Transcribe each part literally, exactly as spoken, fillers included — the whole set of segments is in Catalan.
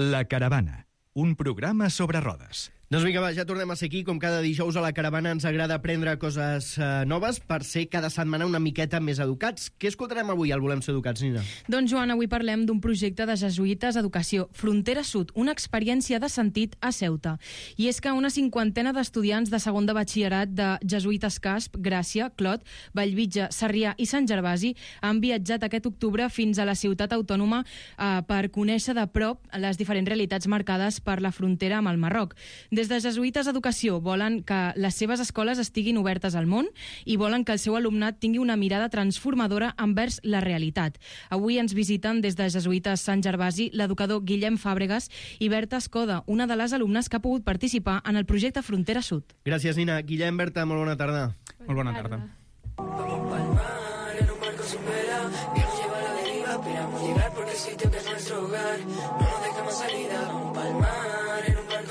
La Caravana, un programa sobre rodes. Doncs vinga, va, ja tornem a ser aquí. Com cada dijous a La Caravana ens agrada aprendre coses eh, noves per ser cada setmana una miqueta més educats. Què escoltarem avui al Volem Ser Educats, Nina? Doncs, Joan, avui parlem d'un projecte de jesuïtes Educació Frontera Sud, una experiència de sentit a Ceuta. I és que una cinquantena d'estudiants de segon de batxillerat de jesuïtes Casp, Gràcia, Clot, Vallvitge, Sarrià i Sant Gervasi han viatjat aquest octubre fins a la ciutat autònoma eh, per conèixer de prop les diferents realitats marcades per la frontera amb el Marroc. Des de Jesuïtes Educació volen que les seves escoles estiguin obertes al món i volen que el seu alumnat tingui una mirada transformadora envers la realitat. Avui ens visiten des de Jesuïtes Sant Gervasi l'educador Guillem Fàbregas i Berta Escoda, una de les alumnes que ha pogut participar en el projecte Frontera Sud. Gràcies, Nina. Guillem, Berta, molt bona tarda. Molt bona tarda.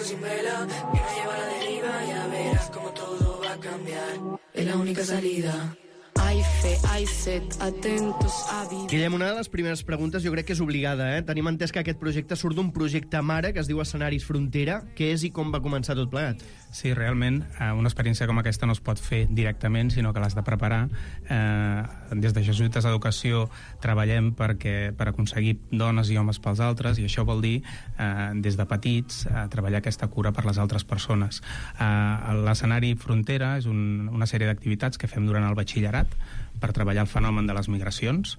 Sin vela, que nos lleva a la deriva, ya verás como todo va a cambiar. Es la única salida. Hay fe, hay set, atentos a vivir. Guillem, una de les primeres preguntes jo crec que és obligada, eh? Tenim entès que aquest projecte surt d'un projecte mare que es diu Escenaris Frontera. Què és i com va començar tot plegat? Sí, realment, una experiència com aquesta no es pot fer directament, sinó que l'has de preparar. Eh, des de Jesuïtes Educació treballem perquè, per aconseguir dones i homes pels altres, i això vol dir, eh, des de petits, eh, treballar aquesta cura per les altres persones. Eh, L'escenari Frontera és un, una sèrie d'activitats que fem durant el batxillerat per treballar el fenomen de les migracions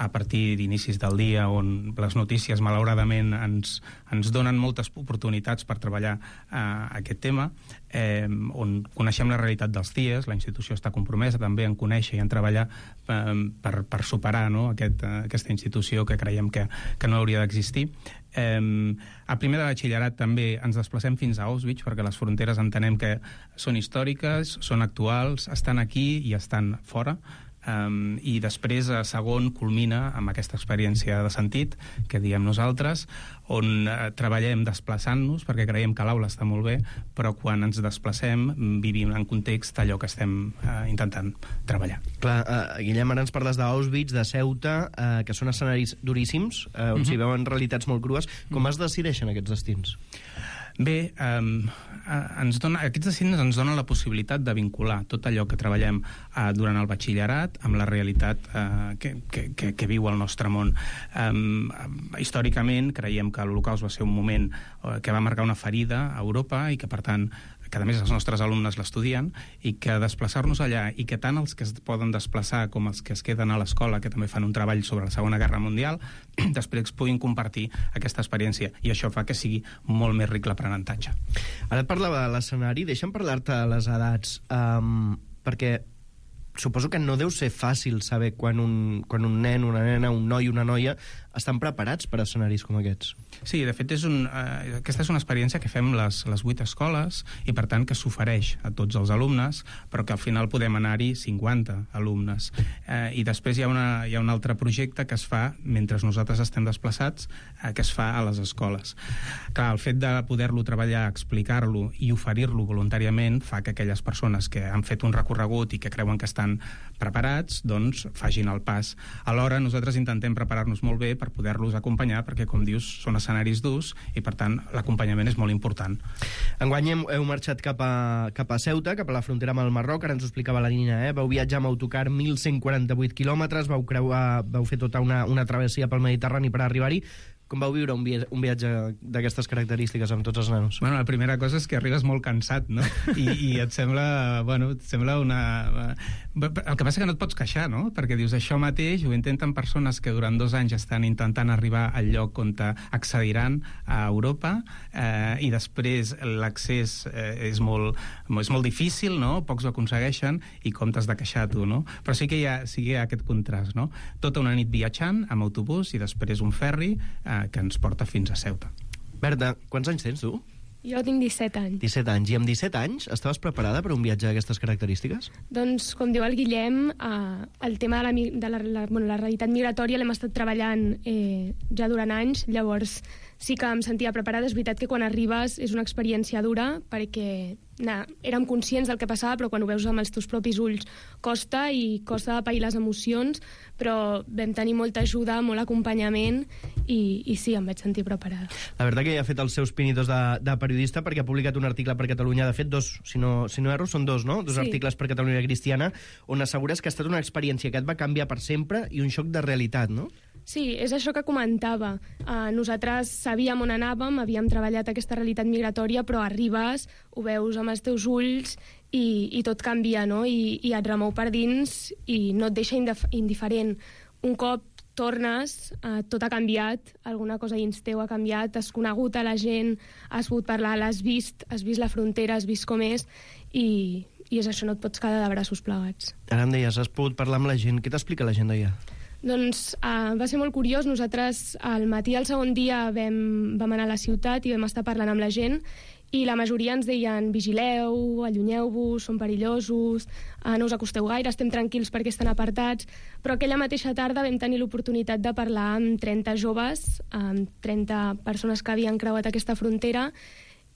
a partir d'inicis del dia on les notícies malauradament ens, ens donen moltes oportunitats per treballar eh, aquest tema, eh, on coneixem la realitat dels C I E S. La institució està compromesa també en conèixer i en treballar eh, per, per superar, no, aquest, eh, aquesta institució que creiem que, que no hauria d'existir. Eh, a primer de batxillerat també ens desplacem fins a Auschwitz perquè les fronteres entenem que són històriques, són actuals, estan aquí i estan fora. Um, i després a segon culmina amb aquesta experiència de sentit que diem nosaltres, on uh, treballem desplaçant-nos perquè creiem que l'aula està molt bé, però quan ens desplacem vivim en context allò que estem uh, intentant treballar. Clar, uh, Guillem, ara ens parles d'Auschwitz, de Ceuta, uh, que són escenaris duríssims, uh, on uh-huh. s'hi veuen realitats molt crues. Com uh-huh. es decideixen aquests destins? Bé, eh, ens dona, aquests destins ens donen la possibilitat de vincular tot allò que treballem eh, durant el batxillerat amb la realitat eh, que, que, que, que viu el nostre món. Eh, històricament creiem que l'Holocaust va ser un moment eh, que va marcar una ferida a Europa i que, per tant, que a més els nostres alumnes l'estudien, i que desplaçar-nos allà, i que tant els que es poden desplaçar com els que es queden a l'escola, que també fan un treball sobre la Segona Guerra Mundial, després puguin compartir aquesta experiència, i això fa que sigui molt més ric l'aprenentatge. Ara et parlava de l'escenari, deixa'm parlar-te de les edats, um, perquè suposo que no deu ser fàcil saber quan un, quan un nen, una nena, un noi, una noia estan preparats per a escenaris com aquests. Sí, de fet, és un, eh, aquesta és una experiència que fem les, les vuit escoles i, per tant, que s'ofereix a tots els alumnes, però que al final podem anar-hi cinquanta alumnes. Eh, I després hi ha, una, hi ha un altre projecte que es fa mentre nosaltres estem desplaçats, eh, que es fa a les escoles. Clar, el fet de poder-lo treballar, explicar-lo i oferir-lo voluntàriament fa que aquelles persones que han fet un recorregut i que creuen que estan preparats, doncs facin el pas. Alhora, nosaltres intentem preparar-nos molt bé per poder-los acompanyar, perquè, com dius, són escenaris durs i, per tant, l'acompanyament és molt important. Enguany heu, heu marxat cap a, cap a Ceuta, cap a la frontera amb el Marroc, ara ens ho explicava la Nina, eh? Vau viatjar amb autocar mil cent quaranta-vuit quilòmetres, vau, creuar, vau fer tota una, una travessia pel Mediterrani per arribar-hi. Com vau viure un viatge, un viatge d'aquestes característiques amb tots els nanos? Bueno, la primera cosa és que arribes molt cansat, no? I, i et sembla, bueno, et sembla una... El que passa que no et pots queixar, no? Perquè dius, això mateix ho intenten persones que durant dos anys estan intentant arribar al lloc on accediran a Europa, eh, i després l'accés eh, és, molt, és molt difícil, no? Pocs ho aconsegueixen i com t'has de queixar tu, no? Però sí que hi ha, sí que hi ha aquest contrast, no? Tota una nit viatjant amb autobús i després un ferri eh, que ens porta fins a Ceuta. Berta, quants anys tens tu? Jo tinc disset anys. disset anys. I amb disset anys estaves preparada per un viatge d'aquestes característiques? Doncs, com diu el Guillem, eh, el tema de la, de la, la, bueno, la realitat migratòria l'hem estat treballant eh, ja durant anys, llavors sí que em sentia preparada. És veritat que quan arribes és una experiència dura, perquè na, érem conscients del que passava, però quan ho veus amb els teus propis ulls costa, i costa de pair les emocions, però vam tenir molta ajuda, molt acompanyament, i, i sí, em vaig sentir preparada. La veritat que ja ha fet els seus pinitos de, de periodista, perquè ha publicat un article per Catalunya, de fet, dos, si no, si no erro, són dos, no? Dos sí. articles per Catalunya Cristiana, on assegures que ha estat una experiència que et va canviar per sempre i un xoc de realitat, no? Sí, és això que comentava. Uh, nosaltres sabíem on anàvem, havíem treballat aquesta realitat migratòria, però arribes, ho veus amb els teus ulls i, i tot canvia, no? I, i et remou per dins i no et deixa indiferent. Un cop tornes, uh, tot ha canviat, alguna cosa dins teu ha canviat, has conegut a la gent, has pogut parlar, l'has vist, has vist la frontera, has vist com és, i, i és això, no et pots quedar de braços plegats. Ara em deies, has pogut parlar amb la gent. Què t'explica la gent d'allà? Doncs uh, va ser molt curiós. Nosaltres al matí del segon dia vam, vam anar a la ciutat i vam estar parlant amb la gent, i la majoria ens deien vigileu, allunyeu-vos, són perillosos, uh, no us acosteu gaire, estem tranquils perquè estan apartats. Però aquella mateixa tarda vam tenir l'oportunitat de parlar amb trenta joves, amb trenta persones que havien creuat aquesta frontera,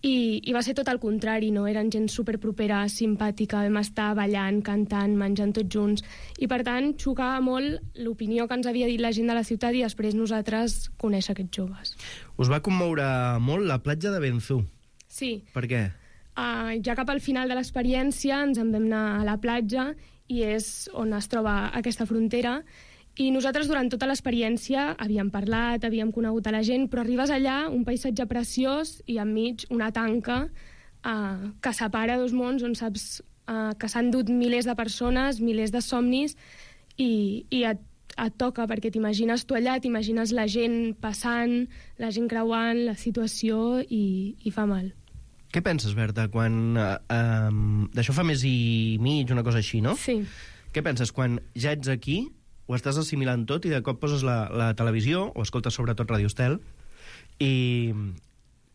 I, i va ser tot el contrari, no? Eren gent superpropera, simpàtica, vam estar ballant, cantant, menjant tots junts, i per tant xocava molt l'opinió que ens havia dit la gent de la ciutat i després nosaltres conèixer aquests joves. Us va commoure molt la platja de Benzú. Sí. Per què? Uh, ja cap al final de l'experiència ens en vam anar a la platja, i és on es troba aquesta frontera. I nosaltres durant tota l'experiència havíem parlat, havíem conegut a la gent, però arribes allà, un paisatge preciós i enmig una tanca uh, que separa dos mons, on saps uh, que s'han dut milers de persones, milers de somnis, i, i et, et toca, perquè t'imagines tu allà, t'imagines la gent passant, la gent creuant, la situació, i, i fa mal. Què penses, Berta, quan... Uh, um, d'això fa mes i mig, una cosa així, no? Sí. Què penses quan ja ets aquí, ho estàs assimilant tot i de cop poses la, la televisió, o escoltes sobretot Ràdio Estel, i,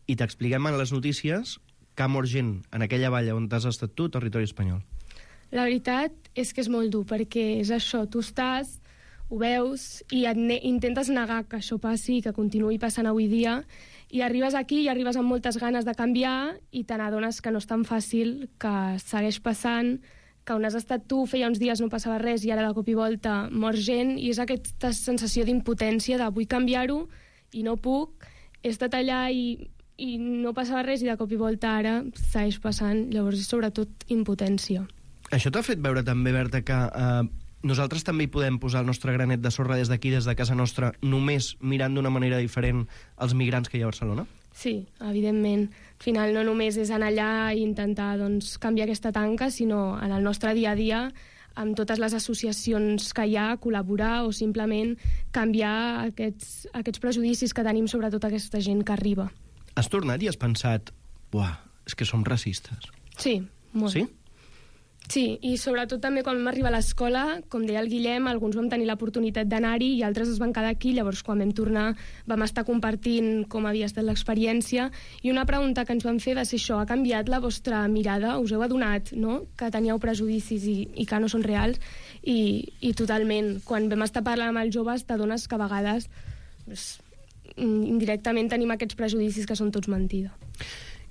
i t'expliquem en les notícies que ha mort gent en aquella valla on t'has estat tu, territori espanyol? La veritat és que és molt dur, perquè és això, tu estàs, ho veus, i et ne intentes negar que això passi i que continuï passant avui dia, i arribes aquí i arribes amb moltes ganes de canviar i te n'adones que no és tan fàcil, que segueix passant, que on has estat tu feia uns dies no passava res i ara de cop i volta mor gent, i és aquesta sensació d'impotència de vull canviar-ho i no puc, he estat allà i, i no passava res i de cop i volta ara segueix passant, llavors és sobretot impotència. Això t'ha fet veure també, Berta, que eh, nosaltres també hi podem posar el nostre granet de sorra des d'aquí, des de casa nostra, només mirant d'una manera diferent els migrants que hi ha a Barcelona? Sí, evidentment. Al final no només és anar allà i intentar doncs, canviar aquesta tanca, sinó en el nostre dia a dia, amb totes les associacions que hi ha, col·laborar o simplement canviar aquests, aquests prejudicis que tenim sobre tota aquesta gent que arriba. Has tornat i has pensat, buah, és que som racistes? Sí, molt. Sí? Sí, i sobretot també quan vam arribar a l'escola, com deia el Guillem, alguns vam tenir l'oportunitat d'anar-hi i altres es van quedar aquí, llavors quan vam tornar vam estar compartint com havia estat l'experiència, i una pregunta que ens van fer va ser això: ha canviat la vostra mirada? Us heu adonat, no?, que teníeu prejudicis i, i que no són reals? I, i totalment, quan vam estar parlant amb els joves t'adones que a vegades doncs, indirectament tenim aquests prejudicis que són tots mentida.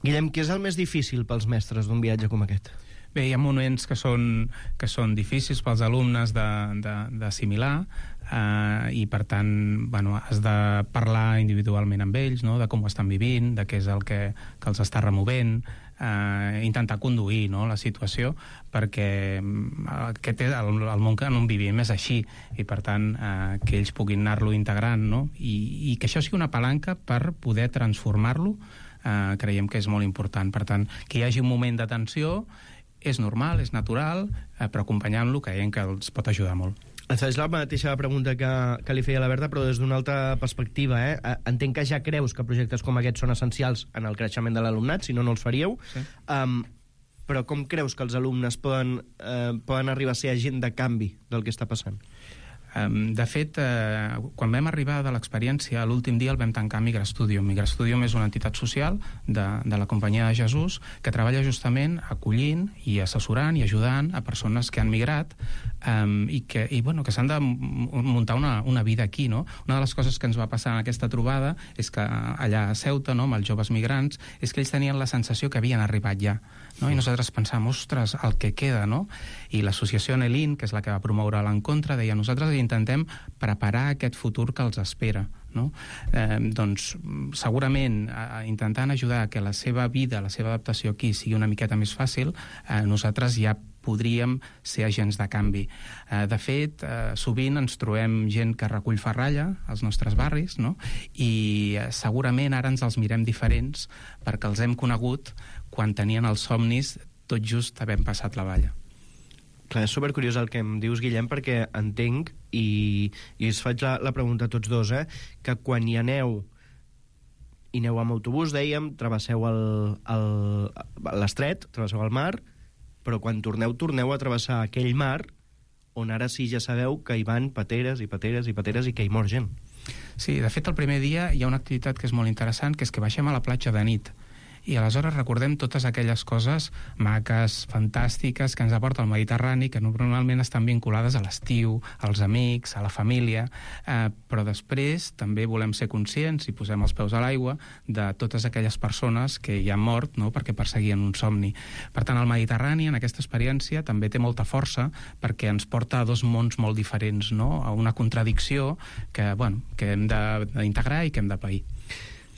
Guillem, què és el més difícil pels mestres d'un viatge com aquest? Bé, hi ha moments que són, que són difícils pels alumnes d'assimilar, eh, i per tant bueno, has de parlar individualment amb ells, no?, de com ho estan vivint, de què és el que, que els està removent, eh, intentar conduir, no?, la situació, perquè aquest és el, el món que on vivim és així, i per tant eh, que ells puguin anar-lo integrant, no?, i, i que això sigui una palanca per poder transformar-lo, eh, creiem que és molt important. Per tant, que hi hagi un moment de tensió és normal, és natural, eh, però acompanyant-lo creiem que els pot ajudar molt. És la mateixa pregunta que, que li feia la Berta, però des d'una altra perspectiva. Eh? Entenc que ja creus que projectes com aquests són essencials en el creixement de l'alumnat, si no, no els faríeu. Sí. Um, però com creus que els alumnes poden, eh, poden arribar a ser agent de canvi del que està passant? Um, de fet, eh, quan vam arribar de l'experiència, l'últim dia el vam tancar a Migrastudium. Migrastudium és una entitat social de, de la Companyia de Jesús que treballa justament acollint i assessorant i ajudant a persones que han migrat um, i que, i, bueno, que s'han de muntar una, una vida aquí, no? Una de les coses que ens va passar en aquesta trobada és que allà a Ceuta, no, amb els joves migrants, és que ells tenien la sensació que havien arribat ja, no? I nosaltres pensàvem, ostres, el que queda, no? I l'associació Nelin, que és la que va promoure l'encontre, deia, nosaltres intentem preparar aquest futur que els espera, no? Eh, doncs segurament eh, intentant ajudar que la seva vida, la seva adaptació aquí sigui una miqueta més fàcil, eh, nosaltres ja podríem ser agents de canvi. Eh, de fet, eh, sovint ens trobem gent que recull ferralla als nostres barris, no? I eh, segurament ara ens els mirem diferents perquè els hem conegut quan tenien els somnis tot just havent passat la valla. Clar, és supercuriós el que em dius, Guillem, perquè entenc, i, i us faig la, la pregunta a tots dos, eh, que quan hi aneu, i aneu amb autobús, dèiem, travesseu l'estret, travesseu el mar, però quan torneu, torneu a travessar aquell mar on ara sí ja sabeu que hi van pateres i pateres i pateres i que hi mor gent. Sí, de fet, el primer dia hi ha una activitat que és molt interessant, que és que baixem a la platja de nit. I aleshores recordem totes aquelles coses maques, fantàstiques, que ens aporta el Mediterrani, que normalment estan vinculades a l'estiu, als amics, a la família, eh, però després també volem ser conscients, i posem els peus a l'aigua, de totes aquelles persones que hi han mort, no?, perquè perseguien un somni. Per tant, el Mediterrani, en aquesta experiència, també té molta força perquè ens porta a dos mons molt diferents, no?, a una contradicció que, bueno, que hem d'integrar i que hem de pair.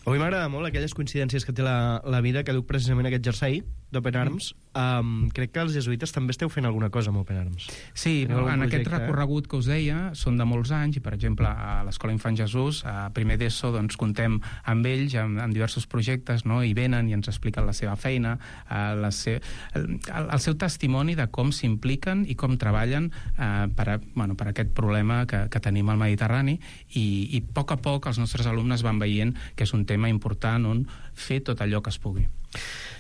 Avui m'agrada molt aquelles coincidències que té la, la vida, que duc precisament aquest jersei d'Open Arms. Um, crec que els jesuïtes també esteu fent alguna cosa amb Open Arms. Sí, en projecte, aquest recorregut eh? que us deia són de molts anys, i per exemple a l'Escola Infant Jesús, a primer d'ESO, doncs contem amb ells en, en diversos projectes, no? I venen i ens expliquen la seva feina, eh, la se... el, el seu testimoni de com s'impliquen i com treballen eh, per, a, bueno, per aquest problema que, que tenim al Mediterrani, i, i a poc a poc els nostres alumnes van veient que és un tema important on fer tot allò que es pugui.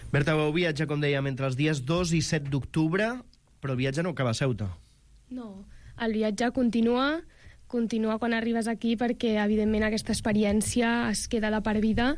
Berta, vau viatjar, com dèiem, entre els dies dos i set d'octubre, però el viatge no acaba a Ceuta. No, el viatge continua, continua quan arribes aquí, perquè, evidentment, aquesta experiència es queda de per vida,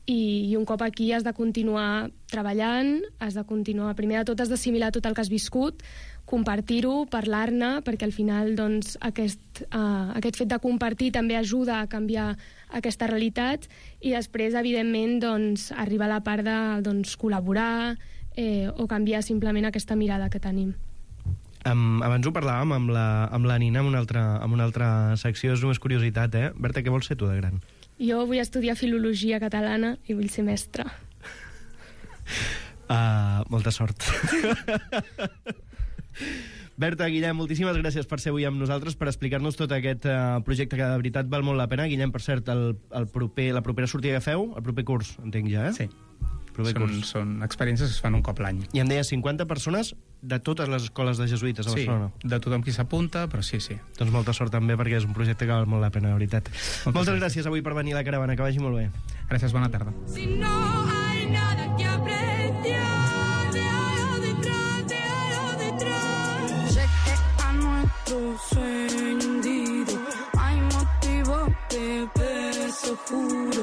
i, i un cop aquí has de continuar treballant, has de continuar, primer de tot has d'assimilar tot el que has viscut, compartir-ho, parlar-ne, perquè al final doncs, aquest, uh, aquest fet de compartir també ajuda a canviar aquesta realitat, i després, evidentment, doncs, arriba la part de doncs, col·laborar eh, o canviar simplement aquesta mirada que tenim. Um, abans ho parlàvem amb la, amb la Nina en una, altra, en una altra secció, és només curiositat, eh? Berta, què vols ser tu de gran? Jo vull estudiar filologia catalana i vull ser mestra. Uh, molta sort. Berta, Guillem, moltíssimes gràcies per ser avui amb nosaltres, per explicar-nos tot aquest uh, projecte que de veritat val molt la pena. Guillem, per cert, el, el proper, la propera sortida que feu, el proper curs, entenc ja, eh? Sí. Proper són, curs. són experiències que es fan un cop l'any. I em deia cinquanta persones de totes les escoles de jesuïtes a Barcelona. Sí, de tothom qui s'apunta, però sí, sí. Doncs molta sort també, perquè és un projecte que val molt la pena, de veritat. Moltes, Moltes gràcies avui per venir a la caravana, que vagi molt bé. Gràcies, bona tarda. Si no hay nada que apreciar, déjalo detrás, déjalo detrás. Sé que a nuestro sueño hundido hay motivo de beso juro.